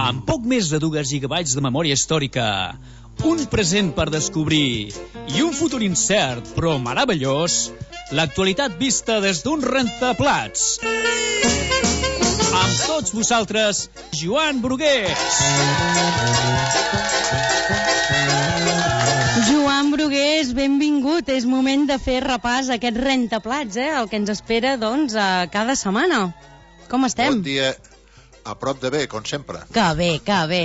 Amb poc més de 2 gigabytes de memòria històrica, un present per descobrir i un futur incert però meravellós, l'actualitat vista des d'un rentaplats. Amb tots vosaltres, Joan Brugués. Joan Brugués, benvingut. És moment de fer repàs a aquest rentaplats, el que ens espera, doncs, cada setmana. Com estem? Bon dia. A prop de bé, com sempre. Que bé, que bé.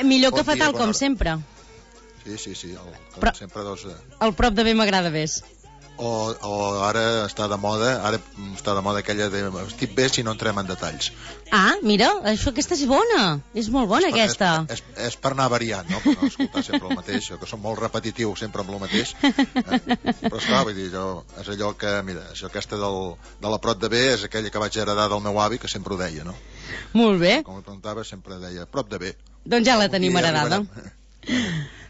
Millor Bon que fatal, dia, com hora. sempre. Sí. Però sempre, doncs... El prop de bé m'agrada més. O ara està de moda, aquella de estic bé si no entrem en detalls. Ah, mira, aquesta és bona. És molt bona, aquesta. És per anar variant, no? Per no escoltar sempre el mateix, que som molt repetitius sempre amb el mateix. Però esclar, vull dir, és allò que, mira, aquesta de la prop de bé és aquella que vaig heredar del meu avi, que sempre ho deia, no? Molt bé. Com ho preguntava, sempre deia, prop de bé. Doncs ja la tenim heredada.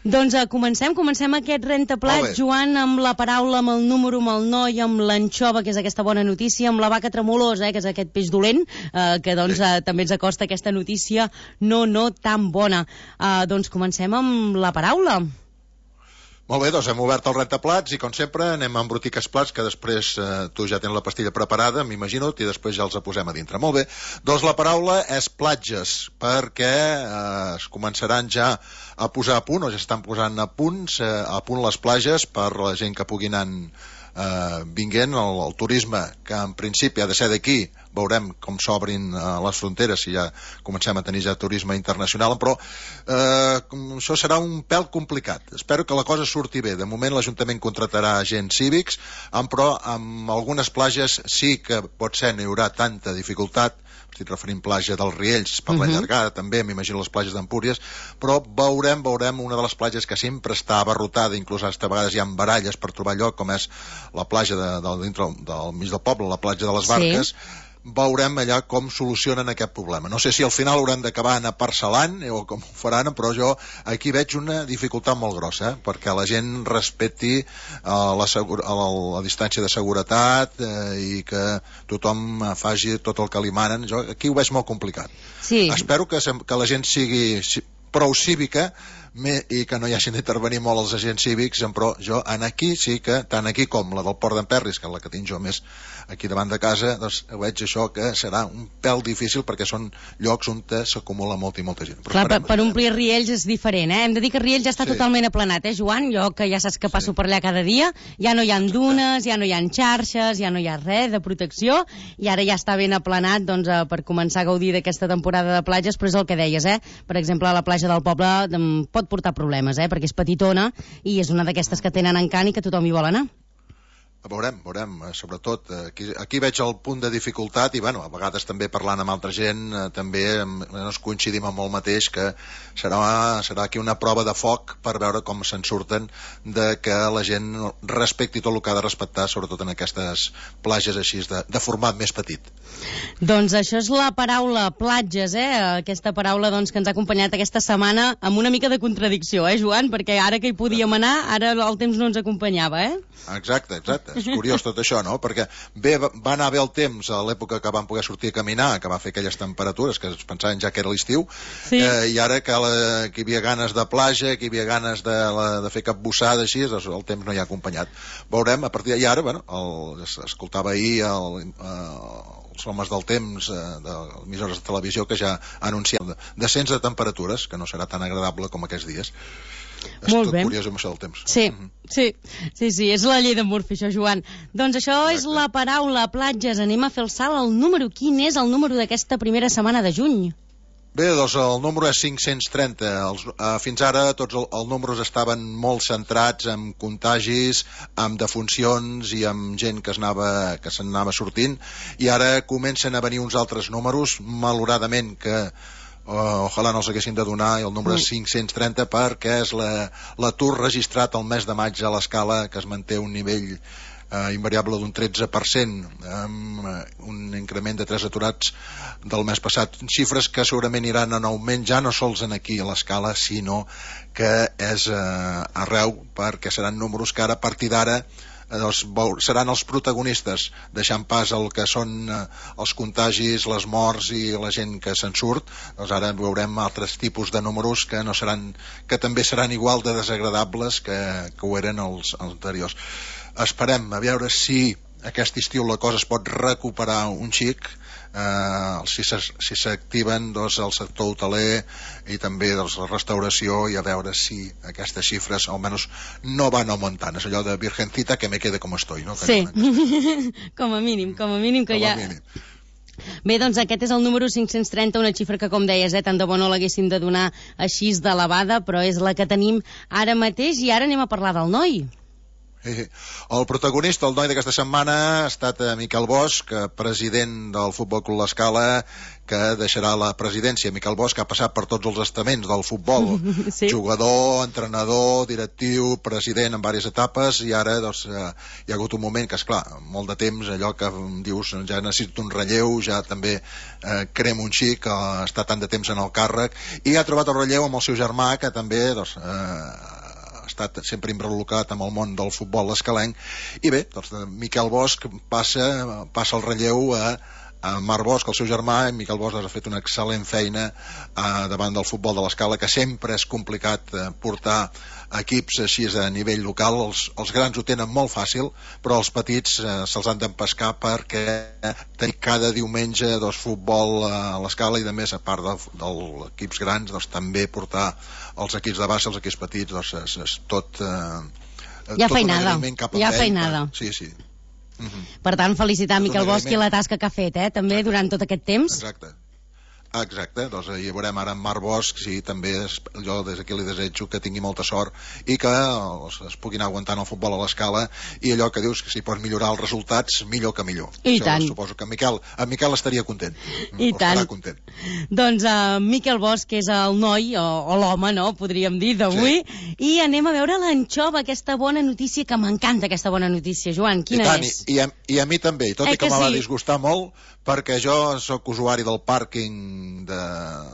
Doncs comencem aquest rentaplats, Joan, amb la paraula, amb el número, amb el noi, amb l'anxova, que és aquesta bona notícia, amb la vaca tremolosa, que és aquest peix dolent, que doncs també ens acosta aquesta notícia no tan bona. Doncs comencem amb la paraula. Molt bé, doncs hem obert el rentaplats i com sempre anem a embrutir aquests plats que després tu ja tens la pastilla preparada, m'imagino, i després ja els posem a dintre. Molt bé, doncs la paraula és platges, perquè es començaran ja a posar a punt, o ja estan posant a punt les platges per la gent que pugui anar vinguent, el turisme, que en principi ha de ser d'aquí. Veurem com s'obrin les fronteres, si ja comencem a tenir ja turisme internacional, però això serà un pèl complicat. Espero que la cosa surti bé. De moment l'Ajuntament contratarà agents cívics, però amb algunes platges sí que pot ser, no hi haurà tanta dificultat. Estic referint platja dels Riells, per la llargada també, m'imagino les platges d'Empúries, però veurem una de les platges que sempre està abarrotada, inclús a vegades hi ha baralles per trobar lloc, com és la platja dintre del mig del poble, la platja de les Barques. Sí. Veurem allà com solucionen aquest problema. No sé si al final hauran d'acabar anar parcel·lant o com ho faran, però jo aquí veig una dificultat molt grossa, perquè la gent respecti la distància de seguretat i que tothom faci tot el que li manen. Jo aquí ho veig molt complicat. Sí. Espero que la gent sigui prou cívica i que no hi hagin d'intervenir molt els agents cívics, però jo aquí sí que, tant aquí com la del Port d'Emperris, que és la que tinc jo més aquí davant de casa, doncs veig això que serà un pèl difícil perquè són llocs on s'acumula molta i molta gent. Clar, per omplir Riells és diferent, Hem de dir que Riells ja està totalment aplanat, Joan? Jo que ja saps que passo per allà cada dia, ja no hi ha dunes, ja no hi ha xarxes, ja no hi ha res de protecció, i ara ja està ben aplanat doncs, per començar a gaudir d'aquesta temporada de platges, però és el que deies, Per exemple, la platja del poble pot portar problemes, perquè és petitona i és una d'aquestes que tenen encant i que tothom hi vol anar. Veurem, sobretot aquí veig el punt de dificultat i a vegades també parlant amb altra gent també ens coincidim amb el mateix, que serà aquí una prova de foc per veure com se'n surten, de que la gent respecti tot el que ha de respectar, sobretot en aquestes platges així de format més petit. Doncs això és la paraula platges, aquesta paraula doncs, que ens ha acompanyat aquesta setmana amb una mica de contradicció, Joan? Perquè ara que hi podíem anar, ara el temps no ens acompanyava, Exacte. És curiós tot això, no? Perquè va anar bé el temps a l'època que vam poder sortir a caminar, que va fer aquelles temperatures que es pensaven ja que era l'estiu, i ara que hi havia ganes de platja, que hi havia ganes de fer capbussada així, doncs el temps no hi ha acompanyat. Veurem, a partir d'ara, escoltava ahir els homes del temps de emissores de televisió que ja anuncien descens de temperatures, que no serà tan agradable com aquests dies. És tot curiós amb això del temps. Sí, és la llei de Murphy, això, Joan. Doncs això és la paraula platges. Anem a fer el salt al número. Quin és el número d'aquesta primera setmana de juny? Bé, doncs el número és 530. Fins ara tots els números estaven molt centrats en contagis, en defuncions i en gent que se'n anava sortint, i ara comencen a venir uns altres números, malauradament, que ojalà no els haguessin de donar, i el número és 530 perquè és l'atur registrat el mes de maig a l'escala, que es manté un nivell invariable d'un 13%, amb un increment de 3 aturats del mes passat. Xifres que segurament iran en augment, ja no sols aquí a l'escala, sinó que és arreu, perquè seran números que ara, a partir d'ara, seran els protagonistes, deixant pas el que són els contagis, les morts i la gent que se'n surt. Doncs ara veurem altres tipus de números que també seran igual de desagradables que ho eren els anteriors. Esperem a veure si aquest estiu la cosa es pot recuperar un xic, si s'activen el sector hoteler i també la restauració, i a veure si aquestes xifres almenys no van augmentant. És allò de virgencita que me quede com estoy, no? Sí, com a mínim que ja... Bé, doncs aquest és el número 530, una xifra que, com deies, tant de bo no l'haguéssim de donar així d'elevada, però és la que tenim ara mateix. I ara anem a parlar del noi. El protagonista, el noi d'aquesta setmana, ha estat Miquel Bosch, president del Futbol Club L'Escala, que deixarà la presidència. Miquel Bosch ha passat per tots els estaments del futbol, sí. Jugador, entrenador, directiu, president en diverses etapes, i ara hi ha hagut un moment que, esclar, molt de temps, allò que dius, ja necessito un relleu, ja també crem un xic, està tant de temps en el càrrec, i ha trobat el relleu amb el seu germà, que també ha estat sempre involucrat amb el món del futbol escalenc. I bé, Miquel Bosch passa el relleu a Marc Bosch, el seu germà. I Miquel Bosch ha fet una excel·lent feina davant del futbol de l'Escala, que sempre és complicat portar equips així a nivell local. Els grans ho tenen molt fàcil, però els petits se'ls han d'empescar, perquè tenir cada diumenge futbol a l'Escala, i de més, a part dels equips grans, també portar els equips de base, els equips petits, és tot hi ha feinada. Sí. Per tant, felicitar Miquel Bosch i la tasca que ha fet, també durant tot aquest temps. Exacte, doncs hi veurem ara en Marc Bosch, sí, també jo des d'aquí li desitjo que tingui molta sort i que es puguin aguantar en el futbol a l'Escala, i allò que dius que si pots millorar els resultats, millor que millor. I això tant. Suposo que en Miquel estaria content. I tant. Estarà content. Doncs Miquel Bosch, que és el noi, o l'home, no?, podríem dir, d'avui, sí. I anem a veure l'anxova, aquesta bona notícia, que m'encanta aquesta bona notícia. Joan, quina és? I a mi també, i tot i que me va disgustar molt, perquè jo sóc usuari del pàrquing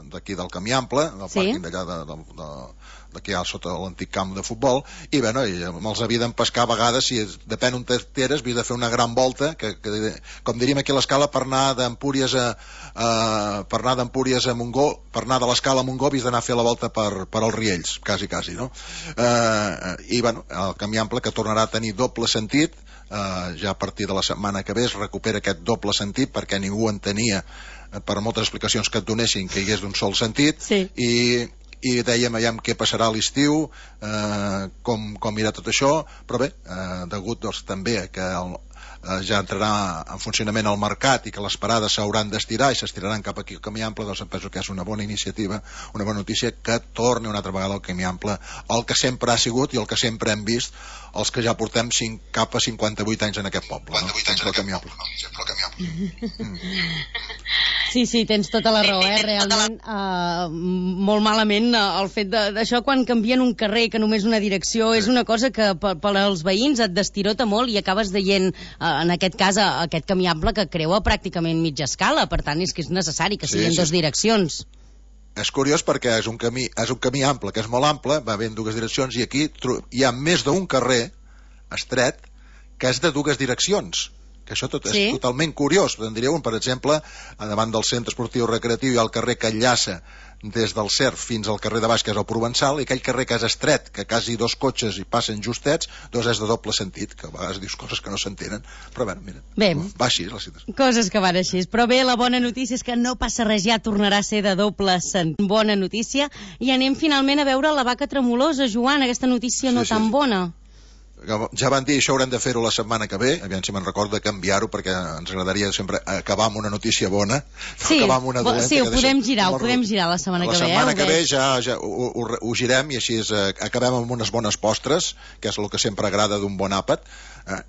d'aquí del Camí Ample, del pàrquing d'allà d'aquí sota l'antic camp de futbol, i bé, me'ls havia d'empescar a vegades, si depèn on t'eres, havia de fer una gran volta, que com diríem aquí a l'Escala, per anar d'Empúries a Montgó, per anar de l'Escala a Montgó, havies d'anar a fer la volta per els Riells, quasi, no? I bé, el Camí Ample, que tornarà a tenir doble sentit, ja a partir de la setmana que ve es recupera aquest doble sentit, perquè ningú entenia, per moltes explicacions que et donessin, que hi hagués d'un sol sentit, sí. I dèiem aviam què passarà a l'estiu, com irà tot això, però bé, degut també que ja entrarà en funcionament el mercat i que les parades s'hauran d'estirar i s'estiraran cap aquí al Camí Ample, doncs em penso que és una bona iniciativa, una bona notícia, que torni una altra vegada al Camí Ample el que sempre ha sigut i el que sempre hem vist els que ja portem cap a 58 anys en aquest poble, no? Sempre al Camí Ample. Sí, tens tota la raó, realment molt malament el fet d'això, quan canvien un carrer, que només una direcció, és una cosa que per als veïns et destirota molt, i acabes veient, en aquest cas, aquest Camí Ample que creua pràcticament mitja escala. Per tant, és que és necessari que siguin dues direccions. És curiós perquè és un camí ample, que és molt ample, va bé en dues direccions, i aquí hi ha més d'un carrer estret que és de dues direccions, que això és totalment curiós. En diríeu, per exemple, davant del centre esportiu recreatiu hi ha el carrer que enllaça des del CERF fins al carrer de baix, que és el Provençal, i aquell carrer que és estret, que quasi dos cotxes hi passen justets, és de doble sentit, que a vegades dius coses que no s'entenen, però bé, mira, va així la situació. Coses que van així, però bé, la bona notícia és que no passa res, ja tornarà a ser de doble sentit. Bona notícia, i anem finalment a veure la vaca tremolosa, Joan, aquesta notícia no tan bona. Ja van dir, això haurem de fer-ho la setmana que ve, aviam si me'n recordo de canviar-ho, perquè ens agradaria sempre acabar amb una notícia bona, acabar amb una dolenta. Sí, ho podem girar la setmana que ve. La setmana que ve ja ho girem, i així acabem amb unes bones postres, que és el que sempre agrada d'un bon àpat.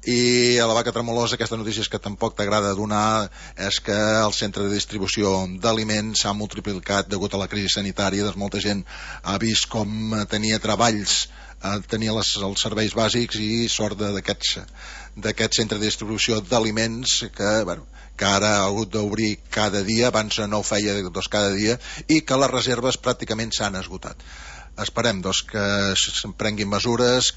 I a la vaca tremolosa, aquesta notícia que tampoc t'agrada donar és que el centre de distribució d'aliments s'ha multiplicat degut a la crisi sanitària. Molta gent ha vist com tenia treballs, tenia els serveis bàsics, i sort d'aquest centre de distribució d'aliments que ara ha hagut d'obrir cada dia, abans no ho feia cada dia, i que les reserves pràcticament s'han esgotat. esperem que se'n prenguin mesures.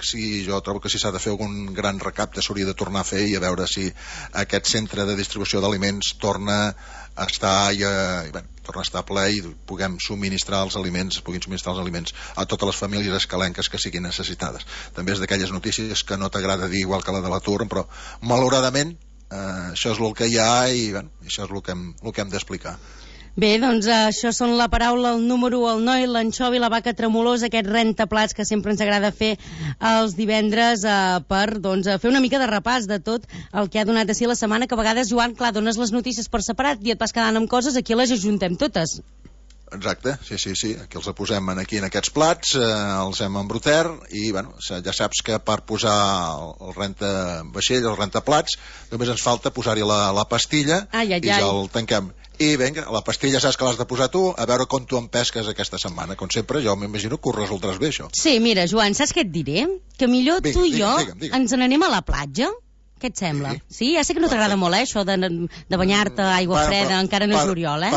Jo trobo que si s'ha de fer algun gran recapte s'hauria de tornar a fer i a veure si aquest centre de distribució d'aliments torna a estar torna a estar ple i puguin subministrar els aliments a totes les famílies escalenques que siguin necessitades. També és d'aquelles notícies que no t'agrada dir, igual que la de l'atur, però malauradament això és el que hi ha i això és el que hem d'explicar. Bé, doncs això són la paraula, el número, el noi, l'anxovi, la vaca tremolosa, aquest rentaplats que sempre ens agrada fer els divendres per fer una mica de repàs de tot el que ha donat a si la setmana, que a vegades, Joan, clar, dones les notícies per separat i et vas quedant amb coses, aquí les ajuntem totes. Exacte, sí. Aquí els posem aquí en aquests plats, els hem embrutat i ja saps que per posar el rentavaixell, el rentaplats, només ens falta posar-hi la pastilla i ja el tanquem. I vinga, la pastilla saps que l'has de posar tu, a veure com tu em pesques aquesta setmana. Com sempre, jo m'imagino que ho resoldràs bé, això. Sí, mira, Joan, saps què et diré? Que millor tu i jo ens n'anem a la platja. Què et sembla? Sí, ja sé que no t'agrada molt, això de banyar-te a aigua freda, encara no és juliol,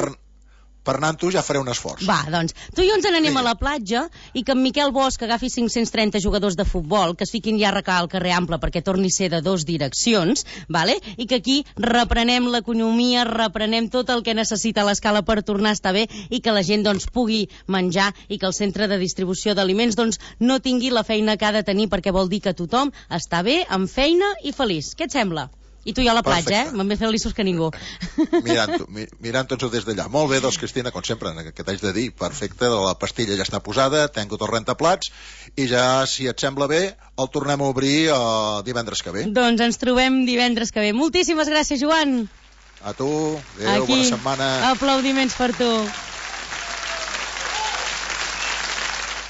Per anar amb tu ja faré un esforç. Va, doncs, tu i jo ens n'anem a la platja i que en Miquel Bosch agafi 530 jugadors de futbol, que es fiquin ja a recar al carrer Ample perquè torni a ser de 2 direccions, vale? I que aquí reprenem l'economia, reprenem tot el que necessita l'escala per tornar a estar bé i que la gent pugui menjar i que el centre de distribució d'aliments no tingui la feina que ha de tenir, perquè vol dir que tothom està bé, amb feina i feliç. Què et sembla? I tu i jo a la platja, M'han més feliços que ningú. Mirant-ho des d'allà. Molt bé, Cristina, com sempre, que t'haig de dir, perfecte, la pastilla ja està posada, tengo tot rentaplats, i ja, si et sembla bé, el tornem a obrir divendres que ve. Doncs ens trobem divendres que ve. Moltíssimes gràcies, Joan. A tu, adéu, bona setmana. Aplaudiments per tu.